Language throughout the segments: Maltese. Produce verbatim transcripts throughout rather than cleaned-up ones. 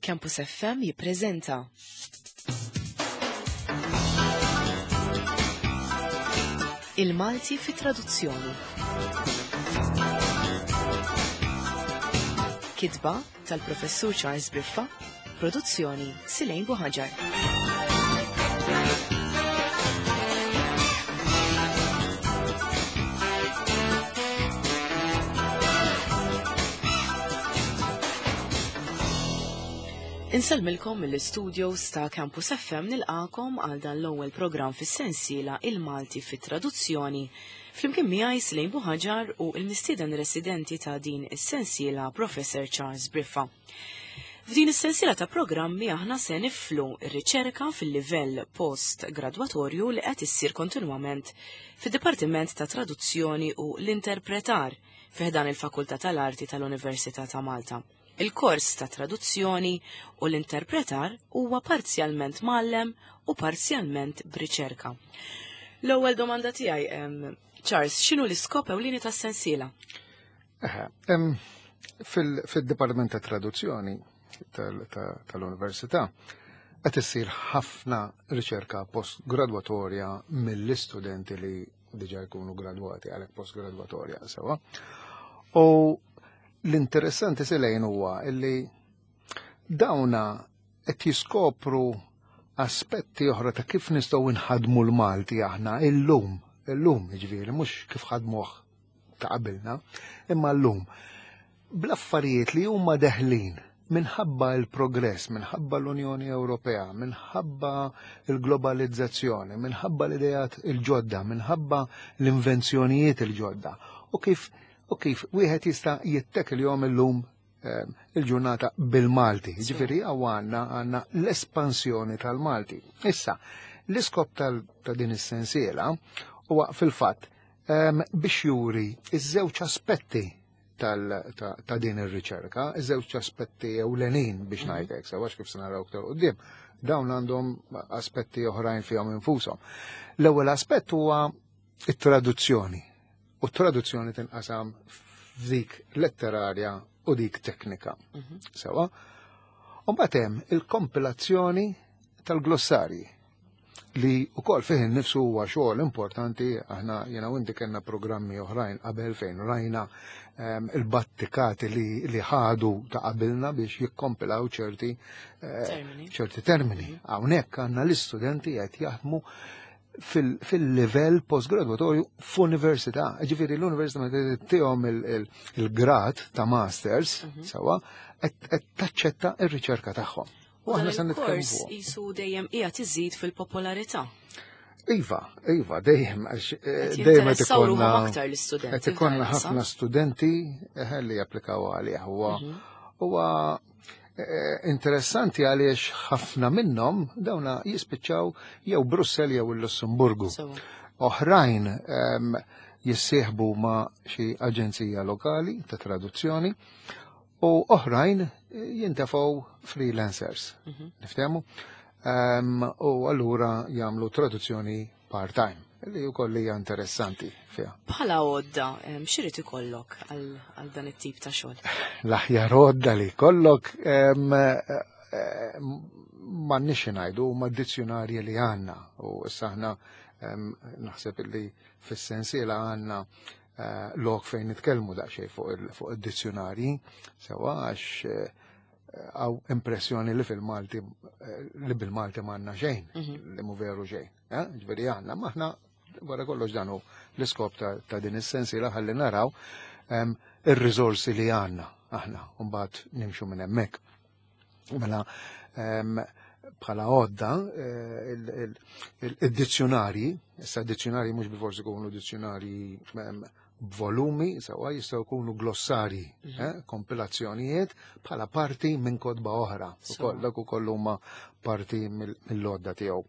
Campus F M jippreżenta Il-Malti fi traduzzjoni. Kitba tal-Professur Charles Briffa, produzzjoni Silejn Buħaġar. Insellmilkom mill-istudios ta' Campus F M nilqakom għal dan l-ewwel programm fis-sensiela Il-Malti fit-Traduzzjoni. Flimkien miegħi Silejn Buħaġar u l-mistieden residenti ta' din is-sensiela Professor Charles Briffa. F'din is-sensiela ta' programmi aħna se niflu r-riċerka fil-livell post-gradwatorju li qed issir kontinwament fid-Dipartiment ta' Traduzzjoni u l-Interpretar fi ħdan il-Fakultà tal-Arti tal-Università ta' Malta. Il-kors ta' traduzzjoni u l-interpretar huwa parzjalment mgħallem u parzjalment b'riċerka. L-ewwel domanda tiegħi, em, Charles, x'inhu l-iskop ewlieni tas-sensiela? Eħe, em, fil-, fil-Dipartiment ta' Traduzzjoni tal-, ta-, tal-Università qed issir ħafna riċerka postgradwatorja mill-istudenti li diġà jkunu gradwati għalhekk postgradwatorja sewwa. U l-interessanti Silejn huwa illi dawna qed jiskopru aspetti oħra ta' kif nistgħu nħadmu l-Malti aħna illum, illum jiġifieri mhux kif ħadmuh ta' qabilna, imma llum bl-affarijiet li huma deħlin minħabba l-progress, minħabba l-Unjoni Ewropea, minħabba l-globalizzazzjoni, minħabba l-idejat il-ġodda, minħabba l-invenzjonijiet il-ġodda u kif u kif wieħed jista' jittek il-jom illum, ehm, il-ġurnata bil-Malti. Sì. Ġifieri hawn għandna, għandna l-espansjoni tal-Malti. Issa, l-iskop tal-, ta' din is-sensiela huwa fil-fatt, ehm, biex juri iż-żewġ aspetti tal-, ta', ta' din ir-riċerka, iż-żewġ aspetti ewlenin biex Mhm. ngħidlek, sewa kif se naraw aktar quddiem, dawn għandhom aspetti oħrajn fihom infushom. L-ewwel aspett huwa it-traduzzjoni. U t-traduzzjoni tinqasam f'dik letterarja u dik teknika. Mhm. Sewa. U mbagħad hemm il-kompilazzjoni tal-glossarji li wkoll fih innifsu huwa xogħol importanti. Aħna jiena u inti kellna programmi oħrajn qabel fejn rajna, ehm, il-battikati li, li ħadu ta' qabilna biex jikkompilaw ċerti, eh, Termini. ċerti termini. Mhm. Hawnhekk għandna l-istudenti qed jaħdmu fil-, fil-livell postgraduatorju f'università. Ġifieri l-università meta tihom il-, il-, il-grad ta' masters, Mhm. sewa, qed, qed taċċetta r-riċerka tagħhom. U U aħna dan se nitkellmu il-kors fuq. qisu dejjem qiegħed iżid fil-popolarità. Iva, iva, dejjem, għax, eh, Qed dejjem qed jinteressaw ruħhom ikollna aktar l-istudenti qed ikollna f'dan il-qasam. ħafna studenti, eh, li japplikaw għalih. Huwa Mhm. huwa, eh, interessanti għaliex ħafna minnhom dawna jispiċċaw jew Brussell jew il-Lussemburgu. Sewa. Oħrajn, ehm, jissieħbu ma' xi aġenzija lokali ta' traduzzjoni u oħrajn jintefgħu freelancers. Mhm. Niftehmu? Ehm, u allura jagħmlu traduzzjoni part-time, li wkoll hija interessanti fiha. Bħala għodda, ehm, x'irid ikollok għal, għal dan it-tip ta' xogħol? L-aħjar għodda li jkollok, ehm, eh, m'għandniex ngħidu huma d-dizzjonarji li għandna u issa aħna, ehm, naħseb li fis-sensiela għandna, eh, lok fejn nitkellmu daqsxejn fuq il-, fuq id-dizzjonarji, sewa għax, eh, għaw impressjoni li fil-Malti, eh, li bil-Malti m'għandna xejn, Mhm. li mhu veru xejn. Eh? Ġifieri għandna, ma aħna wara kollox dan hu l-iskop ta', ta' din is-sensiela ħalli naraw, ehm, ir-riżorsi li għandna aħna u mbagħad nimxu minn hemmhekk. Mela, ehm, bħala għodda, eh, il-, il-, il-, id-dizzjonarji, issa d-dizzjonarji mhux bilfors ikunu dizzjonarji, ehm, b'volumi, sewa jistgħu jkunu glossarji, Mhm. eh, kompilazzjonijiet bħala parti minn kotba oħra. Sewa. Ukoll dak ukoll huma parti mill-, mill-għodda tiegħu.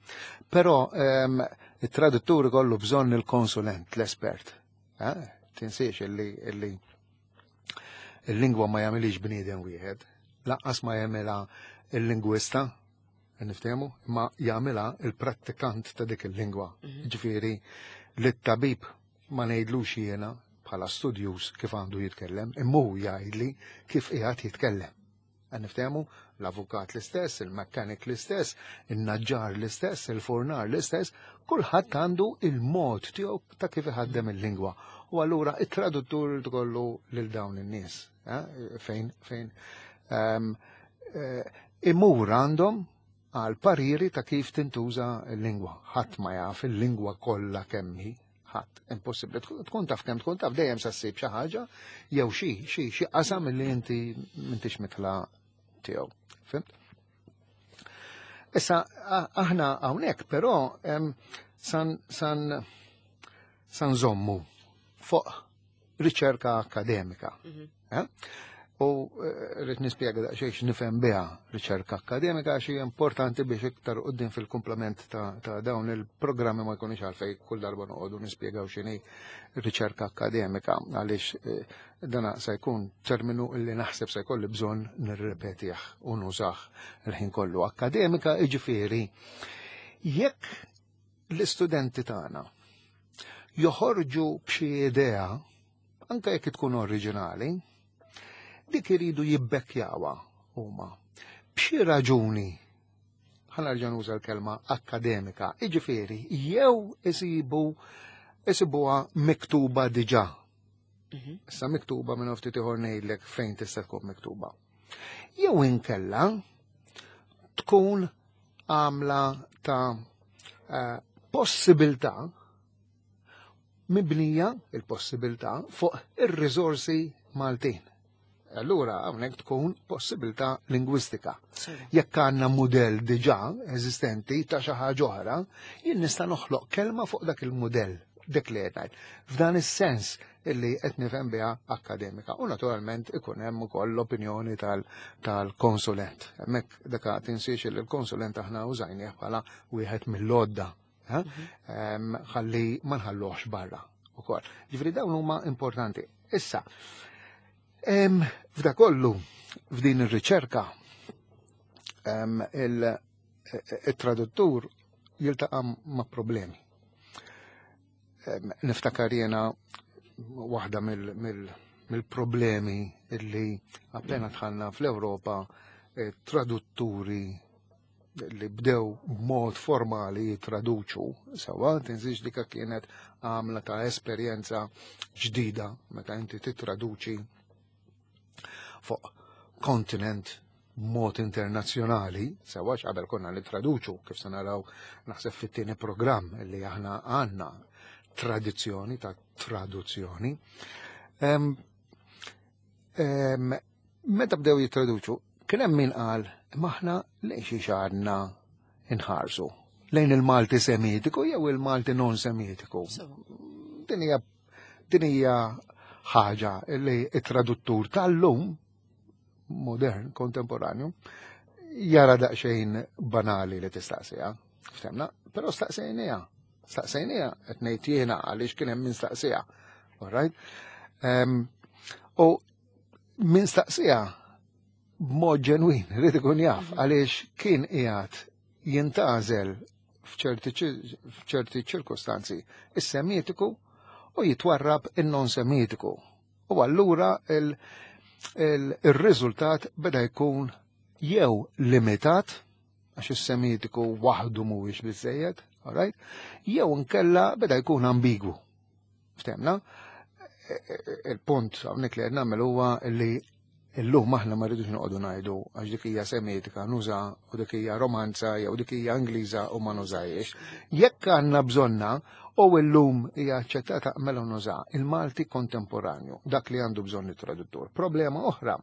Però, ehm, it-traduttur ikollu bżonn il-konsulent, l-espert. Eh? Tinsiex illi, illi il-lingwa ma jagħmilix bniedem wieħed, lanqas ma jagħmilha il-lingwista, niftehmu, ma jagħmilha il-prattikant ta' dik il-lingwa. Mhm. Ġifieri li t-tabib ma ngħidlux jiena bħala studjuż kif għandu jitkellem, imma hu jgħidli kif qiegħed jitkellem. Niftehmu l-avukat l-istess, il-mekkanik l-istess, il-naġġar l-istess, il-fornar l-istess, kulħadd għandu il-mod tiegħu ta' kif iħaddem il-lingwa. U allura it-traduttur tkollu lil dawn in-nies, fejn fejn imur għandhom għal pariri ta' kif tintuża l-lingwa. Ħadd ma jaf il-lingwa kollha kemm hi, ħadd, impossibbli. Tkun taf kemm tkun taf dejjem sa ssib xi ħaġa jew xi xi xi qasam li inti m'intix mitla tiegħu. Fimt? Issa aħna hawnhekk però san san san żommu fuq riċerka akademika. U rrid nispjega daqsxejn x'nifhem biha riċerka akademika għax hija importanti biex iktar quddiem fil-komplement ta' dawn il-programmi ma jkunux għalfejn kull darba noqogħdu nispjegaw x'inhi riċerka akademika għaliex dana se jkun terminu li naħseb se jkolli bżonn nirrepetih u nużah il-ħin kollu. Akademika jiġifieri jekk l-istudenti tagħna joħorġu b'xi idea, anke jekk tkun oriġinali, dik iridu jibbekkjawha huma. B'xi raġuni, ħa nerġa' nuża l-kelma akademika, jiġifieri jew isibu isibuha miktuba diġà. Issa miktuba minn ftit ieħor ngħidlek fejn tista' tkun miktuba. Jew inkella tkun għamla ta' possibilità mibnija il-possibilità fuq ir-riżorsi Maltin. Allura hawnhekk tkun possibilità lingwistika. Jekk għandna mudell diġà eżistenti ta' xi ħaġa oħra, jien nista' noħloq kelma fuq dak il-mudell, dik li qed ngħid. F'dan is-sens illi qed nifhem biha akademika. U naturalment ikun hemm ukoll l-opinjoni tal-konsulent. Hemmhekk dak tinsiex li l-konsulent aħna użajnieh bħala wieħed mill-għodda, ħalli ma nħalluhx barra ukoll. Ġifieri dawn huma importanti. Issa, f'da kollu, f'din ir-riċerka, il-traduttur jiltaqa' ma' problemi. Niftakar jiena waħda mill-problemi illi appena dħalna fl-Ewropa tradutturi li bdew b'mod formali jitraduċu, sewa, tinsiex dika kienet għamla ta' esperjenza ġdida meta inti titraduċi fuq kontinent b'mod internazzjonali, sewa qabel konna nitraduċu, kif se naraw naħseb fit-tieni programm li aħna għandna tradizzjoni ta' traduzzjoni. Meta bdew jitraduċu, kien hemm min qal maħna lejn xi xarna inħarsu lejn il-Malti semitiku jew il-Malti non semitiku. Din hija din hija ħaġa li t-traduttur tal-lum modern, kontemporanju, jara daqsxejn banali li tistaqsiha. Ftemna, però staqsejniha. Staqsejniha qed ngħid jiena għaliex kien hemm min staqsiha. All right? U min staqsiha b'mod ġenwin, rrid ikun jaf, għaliex kien qiegħed jintgħażel f'ċerti ċirkostanzi is-semitiku u jitwarrab in-non semitiku. U allura il-riżultat beda jkun jew limitat, għax is-semitiku waħdu mhuwiex biżejjed, all right? Jew inkella beda jkun ambigwu. Ftemna? Il-punt hawnhekk li qed nagħmel huwa li illum aħna ma rridux noqogħdu ngħidu għax dik hija semitika nuża u dik hija romanza jew dik hija Ingliża u ma nużajiex. Jekk għandna bżonna u illum hija aċċettata mela nuża il-Malti kontemporanju, dak li għandu bżonn it-traduttur. Problema oħra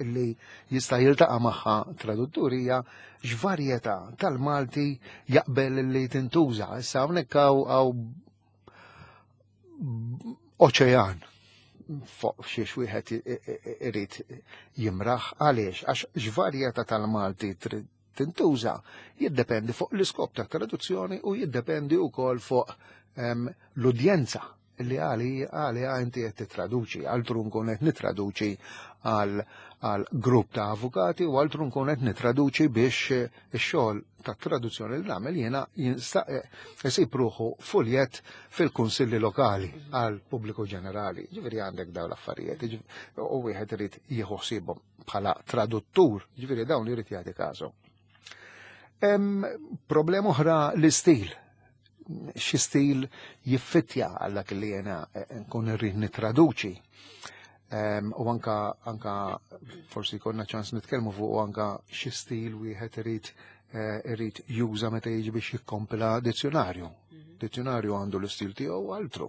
li jista' jiltaqa' magħha traduttur hija x'varjetà tal-Malti jaqbel li tintuża. Issa hawnhekk hawn oċean fuq xiex wieħed irid jimraħ għaliex għax x'varjetà tal-Malti tintuża jiddependi fuq l-iskop ta' traduzzjoni u jiddependi wkoll fuq l-udjenza li għali għali inti qed titraduċi, altru nkun qed nitraduċi għal għal grupp ta' avukati u altru nkun qed nitraduċi biex ix-xogħol ta' traduzzjoni li nagħmel jiena jsib ruħu fuljet fil-kunsilli lokali għal pubbliku ġenerali. Ġifieri għandek dawn l-affarijiet u wieħed irid jieħu ħsiebhom bħala traduttur, ġifieri dawn irid jagħti każu. Hemm problema oħra l-istil. Xi stil jiffittja għal dak li jiena nkun irrid nittraduċi. Um, u anka, anka forsi konna ċans nitkellmu fuq u anka xi stil wieħed irid uh, irid juża meta jiġi biex jikkompila dizzjonarju. Mm -hmm. Dizzjonarju għandu l-istil tiegħu altru.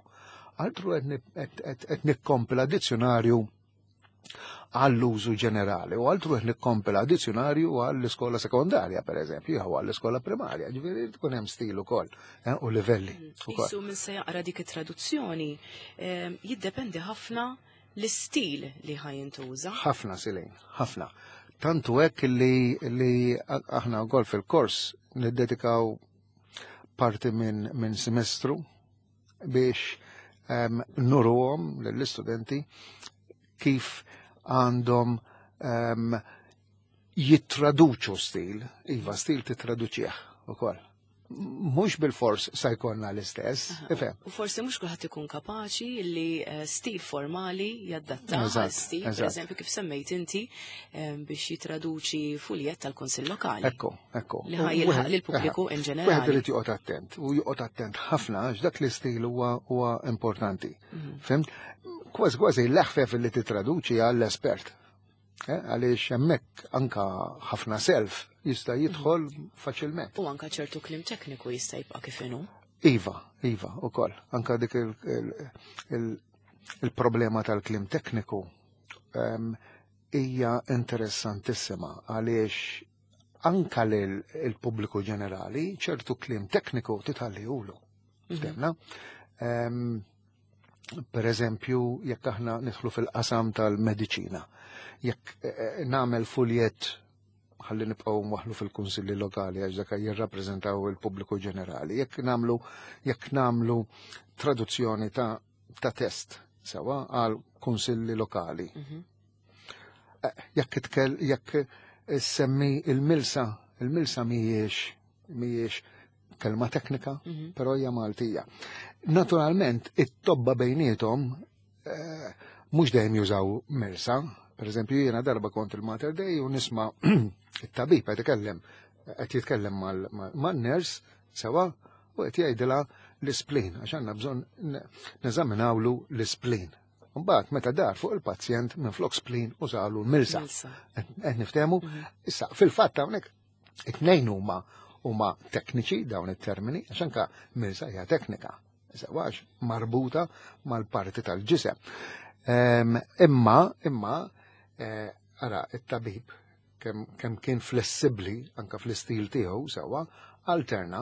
Altru qed nikkompila dizzjonarju għall-użu ġenerali u altru qed nikkompila dizzjonarju għall-iskola sekondarja, per eżempju, jew għall-iskola primarja, ġifieri tkun hemm stil ukoll eh, u livelli. Isu min se jaqra dik it-traduzzjoni eh, jiddependi ħafna l-istil li ħajintuża. Ħafna silin, ħafna. Tantu hekk li, li aħna wkoll fil-kors niddedikaw parti minn min semestru biex um, nuruhom lill-istudenti kif għandhom um, jittraduċu stil, iva stil titraduċih ukoll. Mhux bil-fors sa jkollna l-istess, ifhem. U forsi mhux kulħadd ikun kapaċi li stil formali jaddatta għal stil, per eżempju kif semmejt inti biex jitraduċi fuljet tal-Kunsill Lokali. Ekku, ekku. Li ħa jilħaq lill-pubbliku in ġenerali. Wieħed irid joqgħod attent u joqgħod attent ħafna għax dak l-istil huwa huwa importanti. Fhimt? Kważi kważi l-eħfef li titraduċi għall-espert. Għaliex hemmhekk anka ħafna self jista' jidħol faċilment. U anka ċertu kliem tekniku jista' jibqa' kif inhu. Iva, iva, ukoll. Anka dik il-problema tal-kliem tekniku hija interessantissima għaliex anka lill-pubbliku ġenerali ċertu kliem tekniku titħallihulu. Ftemna? Per eżempju, jekk aħna nidħlu fil-qasam tal-mediċina, jekk nagħmel fuljet ħalli nibqgħu waħlu fil-kunsilli lokali għax dak jirrappreżentaw il-pubbliku ġenerali, jekk nagħmlu jekk nagħmlu traduzzjoni ta' ta' test sewa għal kunsilli lokali. Mm-hmm. Jekk itkel jekk semmi il-milsa, il-milsa mhijiex mhijiex kelma teknika, mm -hmm. però hija Maltija. Naturalment, it-tobba bejniethom eh, mhux dejjem jużaw milsa. Per eżempju, jiena darba kont il-Mater Dei u nisma' it-tabib qed ikellem qed jitkellem man-ners sewa u qed jgħidilha l-isplin għax għandna bżonn neżaminawlu l-isplin. Mbagħad meta dar fuq il-pazjent minflok splin użalu l-milsa. Qed niftehmu? Issa fil-fatt hawnhekk it-tnejn huma huma tekniċi dawn it-termini, għax anka milsa hija teknika, għax marbuta mal-parti tal-ġisem. Imma, imma, ara, it-tabib kemm kien flessibbli anka fl-istil tiegħu sewwa, alterna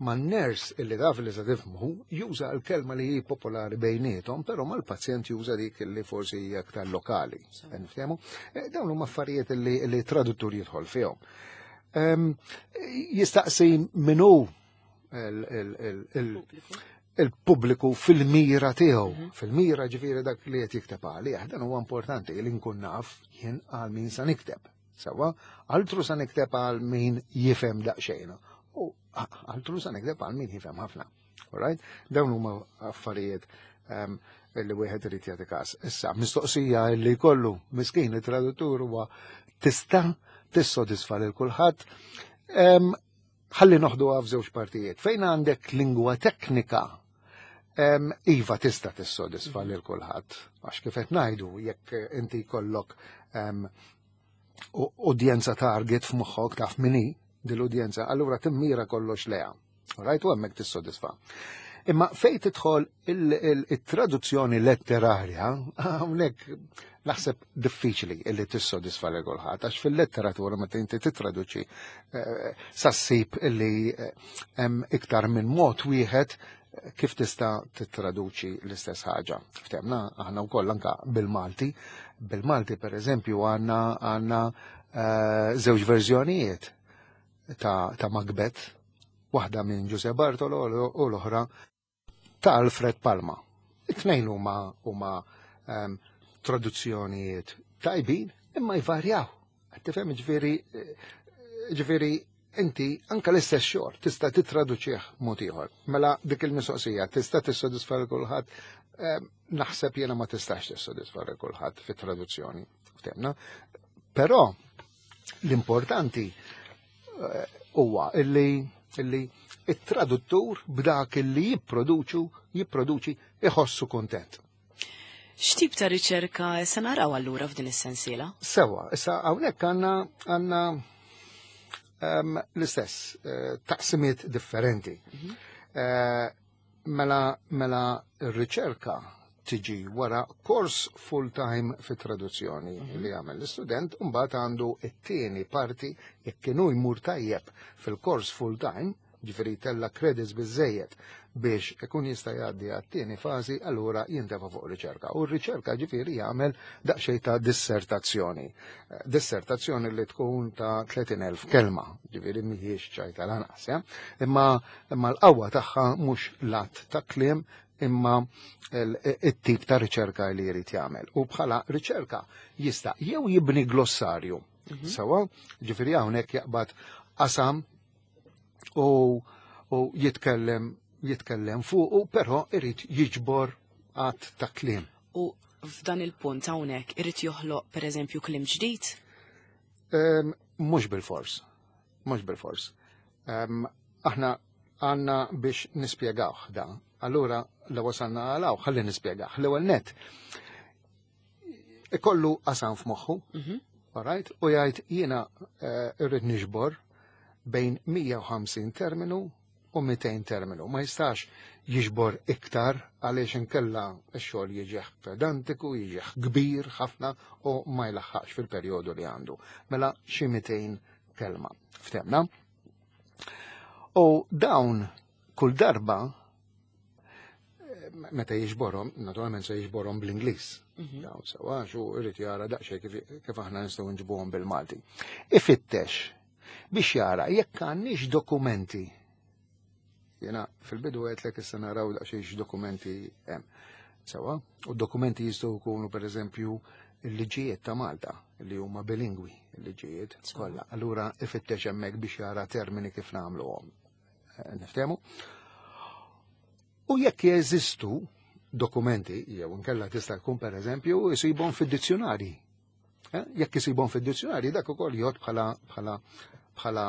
man-ners illi taf li se tifhmu juża l-kelma li hi popolari bejniethom, però mal-pazjent juża dik li forsi hija aktar lokali. Niftehmu? Dawn huma affarijiet li li traduttur jidħol fihom. Um, jistaqsi minu il-pubbliku fil-mira tiegħu, mm -hmm. fil-mira ġifieri dak li qed jikteb għalih, dan huwa importanti li nkun naf jien għal min sa nikteb. Sewwa, altru sa nikteb għal min jifhem daqsxejn. U altru sa nikteb għal min jifhem ħafna. Alright? Dawn huma affarijiet um, li wieħed irid jagħti każ. Issa, mistoqsija li jkollu miskin it-traduttur huwa tista' tissodisfa lil kulħadd. Ħalli noħduha f'żewġ partijiet. Fejn għandek lingwa teknika, um, iva tista' tissodisfa lil kulħadd. Għax kif qed ngħidu, jekk inti jkollok um, udjenza target f'moħħok taf min hi dil-udjenza, allura timmira kollox leha. Right? U hemmhekk tissodisfa. Imma fejn tidħol il-traduzzjoni letterarja, hawnhekk naħseb diffiċli illi tissodisfa lil kulħadd, għax fil-letteratura meta inti titraduċi sa ssib illi hemm iktar minn mod wieħed kif tista' tittraduċi l-istess ħaġa. Ftemna aħna wkoll anka bil-Malti. Bil-Malti per eżempju għandna għandna żewġ verżjonijiet ta', ta' Macbeth, waħda minn Giuseppe Bartolo u l-oħra ta' Alfred Palma. It-tnejn huma huma um, traduzzjonijiet tajbin, imma jvarjaw. Tifhem, ġifieri ġifieri Inti anka l-istess xogħol tista' titraduċih mod ieħor. Mela dik il-mistoqsija tista' tissodisfa lil kulħadd, naħseb jiena ma tistax tissodisfa lil kulħadd fit-traduzzjoni. Ftemna. Però l-importanti huwa illi illi it-traduttur b'dak illi jipproduċu jipproduċi iħossu kontent. X'tip ta' riċerka se naraw allura f'din is-sensiela? Sewa, issa hawnhekk għandna għandna um, l-istess uh, taqsimiet differenti. Mm -hmm. uh, mela mela r-riċerka tiġi wara kors full-time fit traduzzjoni mm -hmm. li għamel l-istudent, mbagħad għandu it-tieni parti jekk kienu jmur tajjeb fil-kors full-time, ġifieri tella credits biżejjed biex ikun jista' jgħaddi għat-tieni fażi, allura jintefa' fuq riċerka. U r-riċerka ġifieri jagħmel daqsxejn ta' dissertazzjoni. Dissertazzjoni li tkun ta' tletin elf kelma, ġifieri mhijiex ċajta lanqas, ja? Imma imma l-qawwa tagħha mhux lat ta' kliem, imma it-tip ta' riċerka li jrid jagħmel. U bħala riċerka jista' jew jibni glossarju. Sewa, ġifieri hawnhekk jaqbad qasam u, u jitkellem jitkellem fuqu, però irid jiġbor għadd ta' kliem. U f'dan il-punt hawnhekk irid joħloq pereżempju kliem ġdid? Mhux bil-fors. Mhux bil-fors. Aħna għandna biex nispjegawh da. Allura la wasalna għalaw, ħalli nispjegah. L-ewwel net ikollu qasam f'moħħu, all right? U jgħid jiena irrid niġbor bejn mija u ħamsin terminu u mitejn terminu. Ma jistax jiġbor iktar għaliex inkella x-xogħol jiġih pedantiku, jiġih kbir ħafna u ma jlaħħaqx fil-perjodu li għandu. Mela xi mitejn kelma. Ftemna? U dawn kull darba meta jiġborhom, naturalment se jiġborhom bl-Ingliż. Dawn sewa xu irid jara daqsxejn kif, kif aħna nistgħu nġibuhom bil-Malti. Ifittex biex jara jekk għandniex dokumenti. Jena fil-bidu għedtlek issa naraw daqsxejn x'dokumenti hemm. Sewa, u dokumenti jistgħu jkunu pereżempju il-liġijiet ta' Malta li huma bilingwi, il-liġijiet kollha. Allura ifittex hemmhekk biex jara termini kif nagħmluhom. Niftehmu? U jekk jeżistu dokumenti, jew inkella tista' tkun pereżempju isibhom fid-dizzjonarji. Jekk isibhom fid-dizzjonarji dak ukoll jgħod bħala bħala bħala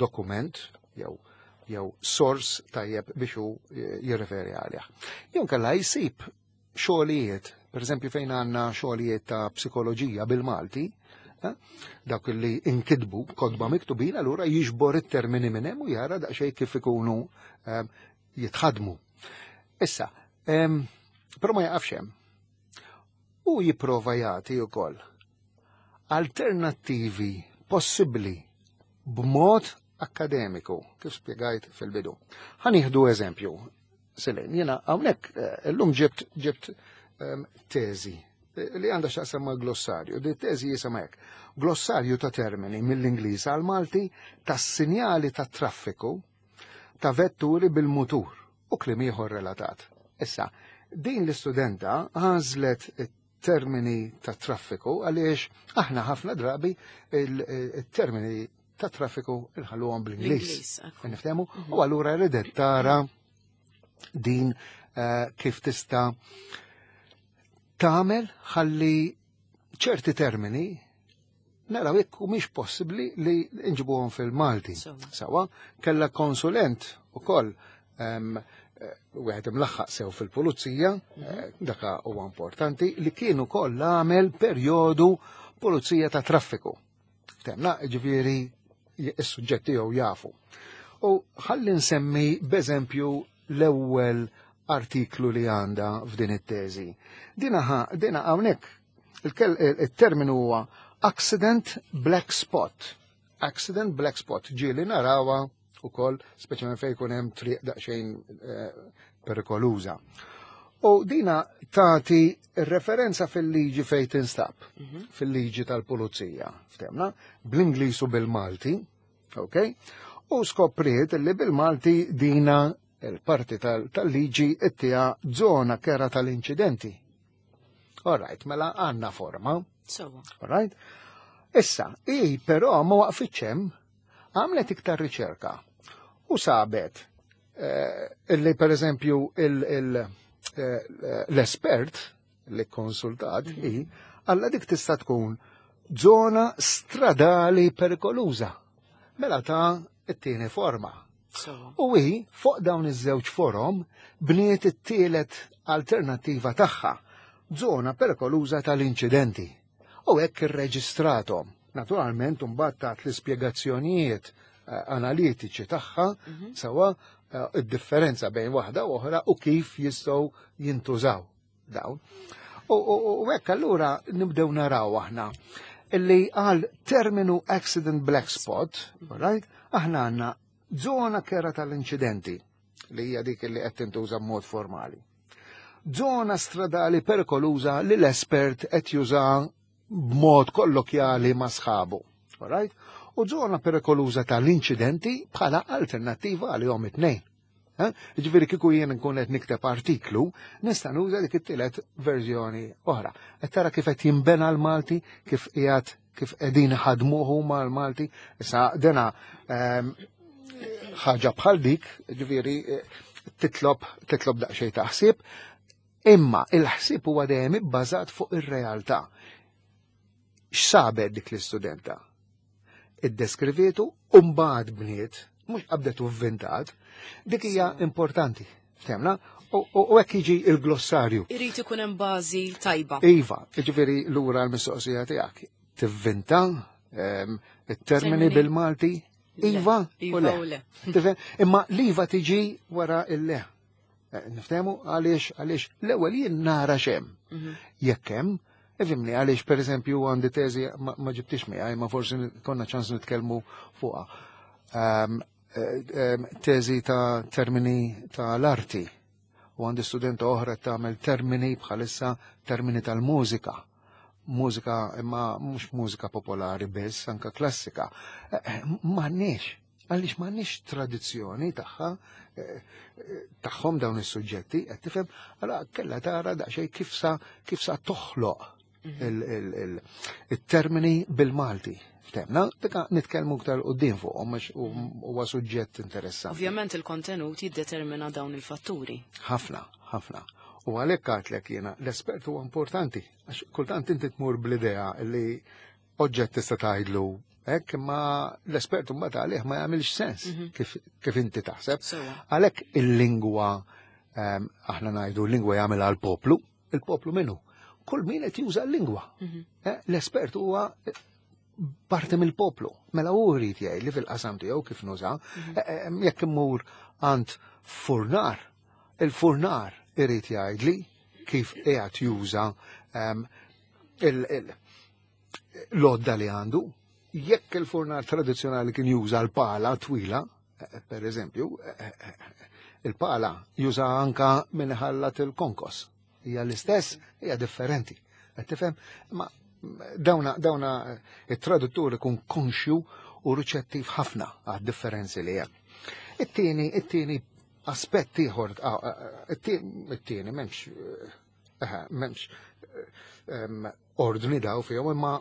dokument jew jew sors tajjeb biex hu jirreferi għalih. Jew inkella jsib xogħlijiet, pereżempju fejn għandna xogħlijiet ta' psikoloġija bil-Malti, dawk li inkitbu kotba miktubin, allura jiġbor it-termini minn hemm u jara daqsxejn kif ikunu jitħadmu. Issa, però ma jaqafx hemm. U jipprova jagħti wkoll alternattivi possibbli b'mod akkademiku, kif spjegajt fil-bidu. Ħa nieħdu eżempju, Selin, jiena hawnhekk illum ġibt ġibt teżi li għandha x'taqsam ma' glossarju. Di teżi jisimha hekk. Glossarju ta' termini mill-Ingliż għal Malti tas-sinjali ta' traffiku ta' vetturi bil-mutur u kliem ieħor relatat. Issa, din l-istudenta għażlet termini ta' traffiku għaliex aħna ħafna drabi il-termini ta' traffiku inħalluhom bl-Ingliż. Niftehmu? U allura ridet tara din kif tista' tagħmel ħalli ċerti termini naraw jekk mhix possibbli li nġibuhom fil-Malti. Sawa, kellha konsulent ukoll wieħed imlaħħaq sew fil-pulizija, daka huwa importanti, li kien ukoll għamel perjodu pulizija ta' traffiku. Temna, ġifieri is-suġġetti tiegħu jafu. U ħalli nsemmi b'eżempju l-ewwel artiklu li għandha f'din it-teżi. Dina dina hawnhekk il-terminu huwa accident black spot. Accident black spot ġieli narawha ukoll speċjalment fejn jkun hemm triq daqsxejn perikoluża. U dina tagħti referenza fil-liġi fejn tinstab, fil-liġi tal-pulizija, ftemna, bl-Ingliż u bil-Malti, ok? U skopriet li bil-Malti dina il-parti tal-liġi ittija zona kera tal-inċidenti. All right, mela għandna forma. All right? Issa, i però ma waqfitx hemm Għamlet iktar riċerka u sabet eh, illi per eżempju eh, l-espert li konsultat hi għalla dik tista' tkun zona stradali perikoluża. Mela ta' it-tieni forma. U hi fuq dawn iż-żewġ forom bniet it-tielet alternattiva tagħha, zona perikoluża tal-inċidenti. U hekk irreġistrathom. Naturalment imbagħad tat l-ispjegazzjonijiet eh, analitiċi tagħha mhm. sewa eh, id-differenza bejn waħda u oħra u kif jistgħu jintużaw dawn. U hekk allura nibdew naraw aħna illi għal terminu accident black spot, right, aħna għandna zona kera tal-inċidenti li hija dik li qed tintuża b'mod formali. Zona stradali perikoluża li l-espert qed juża b'mod kollokjali ma' sħabu. Right? U zona perikoluża tal-inċidenti bħala alternattiva għalihom it-tnejn. Ġifieri kieku jien nkun qed nikteb artiklu, nista' nuża dik it-tielet verżjoni oħra. Qed tara kif qed jinbena l-Malti, kif qiegħed kif qegħdin ħadmuh huma l-Malti. Issa dena ehm, ħaġa bħal dik, ġifieri titlob titlob daqsxejn ta' ħsieb, imma il-ħsieb huwa dejjem ibbażat fuq ir-realtà. X'sabet dik l-istudenta? Iddeskrivietu u mbagħad bniet, mhux qabdet u vvintat, dik hija importanti. Ftemna? U hekk jiġi il-glossarju. Irid ikun hemm bażi tajba. Iva, jiġifieri lura l-mistoqsija tiegħek. Tivvinta ehm, it-termini bil-Malti Iva u le. Imma l-iva tiġi wara il-le. Eh, niftehmu għaliex għaliex l-ewwel jien nara x'hemm. Mhm. Jekk hemm, ifhimni għaliex pereżempju għandi teżi ma ġibtix miegħi, ma forsi konna ċans nitkellmu fuqha. Ehm, eh, ehm, teżi ta' termini ta' l-arti. U għandi studenta oħra tagħmel termini bħalissa termini tal-mużika. Mużika imma mhux mużika popolari biss, anka klassika. Eh, eh, m'għandniex, għaliex m'għandniex tradizzjoni tagħha eh, tagħhom dawn is-suġġetti, qed tifhem, allora kellha tara daqsxejn kif sa kif sa toħloq mhm. il-termini bil-Malti. Ftemna, dika nitkellmu iktar quddiem fuqhom għax huwa suġġett interessanti. Ovvjament il-kontenut jiddetermina dawn il-fatturi. Ħafna, ħafna. U għalhekk għadtlek jiena l-espert huwa importanti, għax kultant inti tmur bl-idea li oġġett tista' tgħidlu hekk imma l-espert mbagħad għalih ma jagħmilx sens mhm. kif, kif inti taħseb. Għalhekk il-lingwa ehm, aħna ngħidu l-lingwa jagħmilha l-poplu, il-poplu minnu. Kull min qed juża l-lingwa. Mhm. Eh, l-espert huwa parti mill-poplu. Mela hu jrid jgħid li fil-qasam tiegħu kif nuża, mhm. eh, eh, jekk immur għand furnar, il-furnar irid jgħidli kif qiegħed juża ehm, l-għodda li għandu. Jekk il-furnar tradizzjonali kien juża l-pala twila, eh, per eżempju, il-pala juża anka min ħallat il-konkos. Hija l-istess, hija differenti. Qed tifhem? Ma dawna dawna it-traduttur ikun konxju u riċettiv ħafna għad differenzi li hemm. It-tieni, it-tieni aspett ieħor, it-tieni m'hemmx m'hemmx ordni daw fihom, imma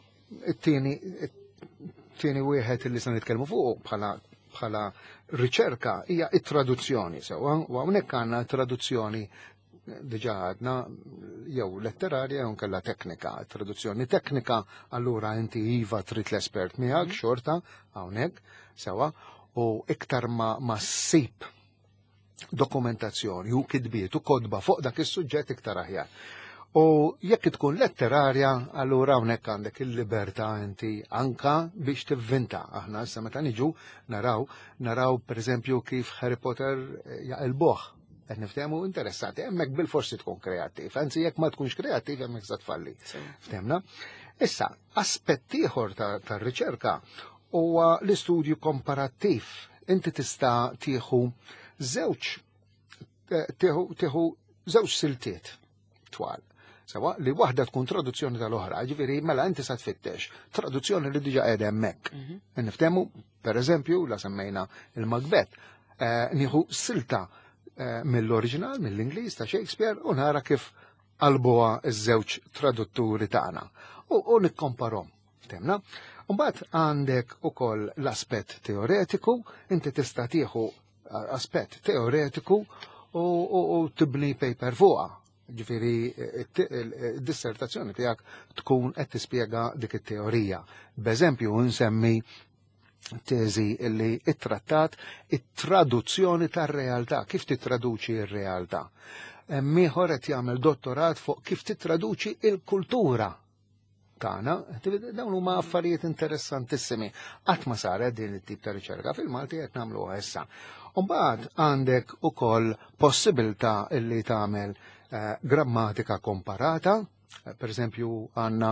it-tieni it-tieni wieħed li se nitkellmu fuq bħala bħala riċerka hija it-traduzzjoni sewwa, u hawnhekk għandna traduzzjoni diġà għadna jew letterarja jew kella teknika. Traduzzjoni teknika, allura inti iva trid l-espert miegħek mhm. xorta hawnhekk sewwa, u iktar ma, ma ssib dokumentazzjoni u kitbiet u kodba fuq dak is-suġġett iktar aħjar. U jekk tkun letterarja, allura hawnhekk għandek il-libertà inti anka biex tivvinta. Aħna issa meta niġu naraw, naraw pereżempju kif Harry Potter jaqilbuh. Qed niftehmu interessati, hemmhekk bil-forsi tkun kreattiv, anzi jekk ma tkunx kreattiv hemmhekk sa tfalli. Ftemna? Issa, aspett ieħor tar-riċerka huwa l-istudju komparattiv. Inti tista' tieħu żewġ eh, tieħu żewġ siltiet twal. Sewa li waħda tkun traduzzjoni tal-oħra, ġifieri mela inti sa tfittex traduzzjoni li diġà qiegħda hemmhekk. Mhm. Niftehmu, per eżempju, la semmejna il-Macbeth, eh, nieħu silta eh, mill-oriġinal, mill-Ingliż ta' Shakespeare u nara kif qalbuha iż-żewġ tradutturi tagħna. U, u nikkomparhom. Ftemna? Mbagħad għandek ukoll l-aspett teoretiku, inti tista' tieħu aspett teoretiku u, u, u tibni paper fuqha. Ġifieri id-dissertazzjoni tiegħek tkun qed tispjega dik it-teorija. B'eżempju nsemmi teżi li it-trattat it-traduzzjoni tar-realtà, kif titraduċi r-realtà. Ieħor qed jagħmel dottorat fuq kif titraduċi il-kultura tagħna. Dawn huma affarijiet interessantissimi. Qatt ma saret din it-tip ta' riċerka fil-Malti, qed nagħmluha issa. Mbagħad għandek ukoll possibilità illi tagħmel eh, grammatika komparata. Per eżempju, għandna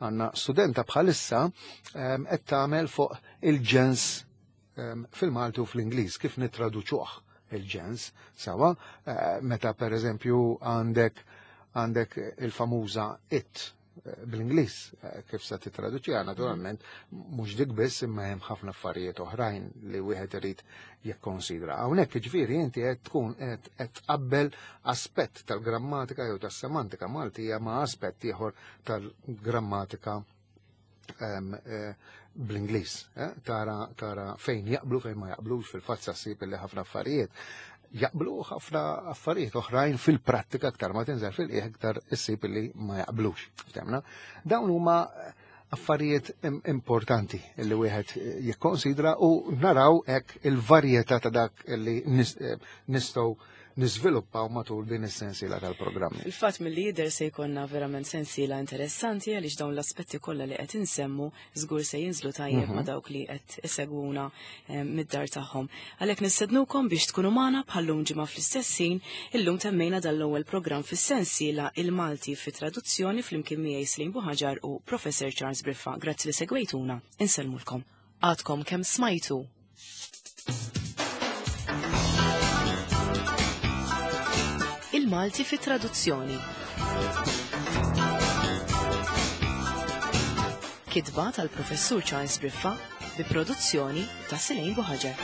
għandna studenta bħalissa qed tagħmel fuq il-ġens fil-Malti u fl-Ingliż, kif nittraduċuh il-ġens sawa, eh, meta per eżempju għandek għandek il-famuża "it" eh, bl-Ingliż, eh, kif se titraduċiha. Naturalment mhux dik biss, imma hemm ħafna affarijiet oħrajn li wieħed irid jikkonsidra. Hawnhekk jiġifieri inti qed tkun qed tqabbel aspett tal-grammatika jew tas-semantika Maltija ma' aspett ieħor tal-grammatika eh, bl-Ingliż. Tara tara fejn jaqblu, fejn ma jaqblux. Fil-fatt ssib li ħafna affarijiet jaqblu, ħafna affarijiet oħrajn fil-prattika aktar ma tinżel fil-qiegħ aktar issib li ma jaqblux. Ftemna? Dawn huma affarijiet importanti li wieħed jikkonsidra u naraw hekk il-varjetà ta' dak li nistgħu niżviluppaw matul din is-sensiela tal-programmi. Il-fatt mill-lider se jkollna verament sensiela interessanti, għaliex dawn l-aspetti kollha li qed insemmu żgur se jinżlu tajjeb ma' dawk li qed isegwuna eh, mid-dar tagħhom. Għalhekk nistednukom biex tkunu magħna bħallum ġimgħa fl-istess ħin. Illum temmejna dal-ewwel programm fis-sensiela Il-Malti fi Traduzzjoni flimkien miegħi Slim Buħaġar u Professor Charles Briffa. Grazzi li segwejtuna. Insellmulkom. Għadkom kemm smajtu Il-Malti fi Traduzzjoni. Kitba tal-Professur Charles Briffa bi produzzjoni ta' Selene Buħaġar.